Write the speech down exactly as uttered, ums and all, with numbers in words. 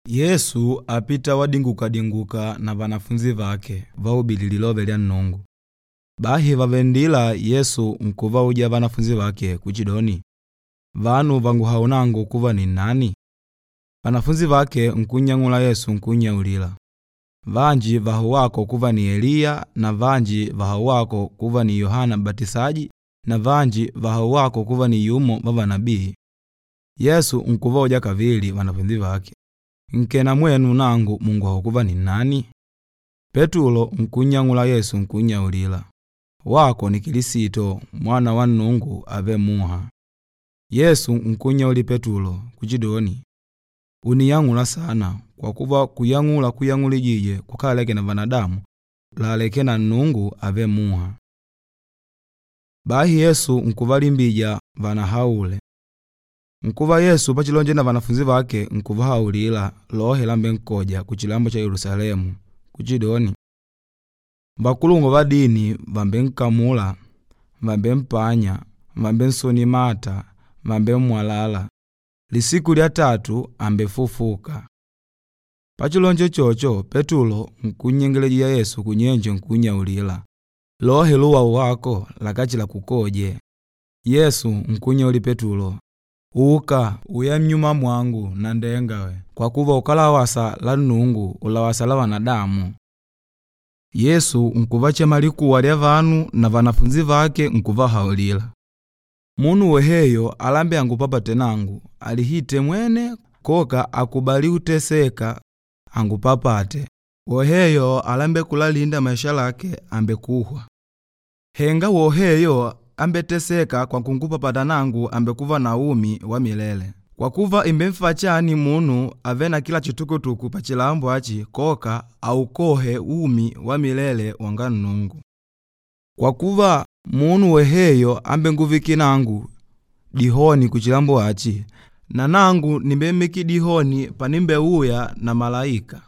Yesu apita wadinguka-dinguka na vanafunzi vake vaubili lilove lya Nnungu. Bahi vàvele nndila Yesu nkuvauja vanafunzi vake kuchidoni, “Vanu vànguhaula nangu kuva ninnani?” Vanafunzi vake nkunnyang'ula Yesu nkunnyaulila, “Vanji vàhaula wako kuva ni Eliya na vanji vàhaula wako kuva ni Yohana M'batisaji na vanji vàhaula wako kuva ni yumo wa vanabii.” Yesu nkuvauja kavili vanafunzi vake, “Nkena mwenu nangu mùnguhaula kuva ninnani?” Petulo nkunnyang'ula Yesu nkunnyaulila, “Wako ni Kilisito, Mwana wa Nnungu avêle muha.” Yesu nkunnyaulila Petulo kuchidoni, “Ùniyang'ula saana, kwa kuva kuyang'ula kwayang'ulijije kukálaleke na vanadamu, làlaleke na Nnungu avêle muha.” Bahi Yesu nkuvalimbija vanahaule. Nkuva Yesu pachilonjele na vanafunzi vake nkuvahaulila lohe lambenkoja kuchilambo cha Yelusalemu kuchidoni, “Vakulungwa va dini vàmbenkamula, vàmbempanya, vàmbensonya mata, vàmbemmwalala. Lisiku lya tatu àmbefufuka.” Pachilonjele uchocho, Petulo nkunnyengelejija Yesu kunyenje nkunnyaulila, “Lohe luwaula wako lakáchilakukoje.” Yesu nkunnyaulila Petulo, “Uka, uye nnyuma mwangu, nanndengawe, kwa kuva ukálawasa la Nnungu, ùlawasa la vanadamu.” Yesu nkuvachema likuwa lya vanu na vanafunzi vake nkuvahaulila, “Munu woheyo alambêla angupapate nangu, alihite mwene koka akubali kuteseka angupapate. Woheyo alambêla kulalinda maisha lake àmbekuhwa. Henga woheyo ambetesêka kwa kungupapata nangu àmbekuva na umi wa milele. Kwa kuva, ìmbenfaa chani munu avêle na kila chitukutuku pachilambo achi koka aukohe umi wa milele wanga Nnungu? Kwa kuva, munu woheyo ambenguvikîla nangu dihoni kuchilambo achi, na nangu nimbemmikila dihoni panimbeuya na malaika.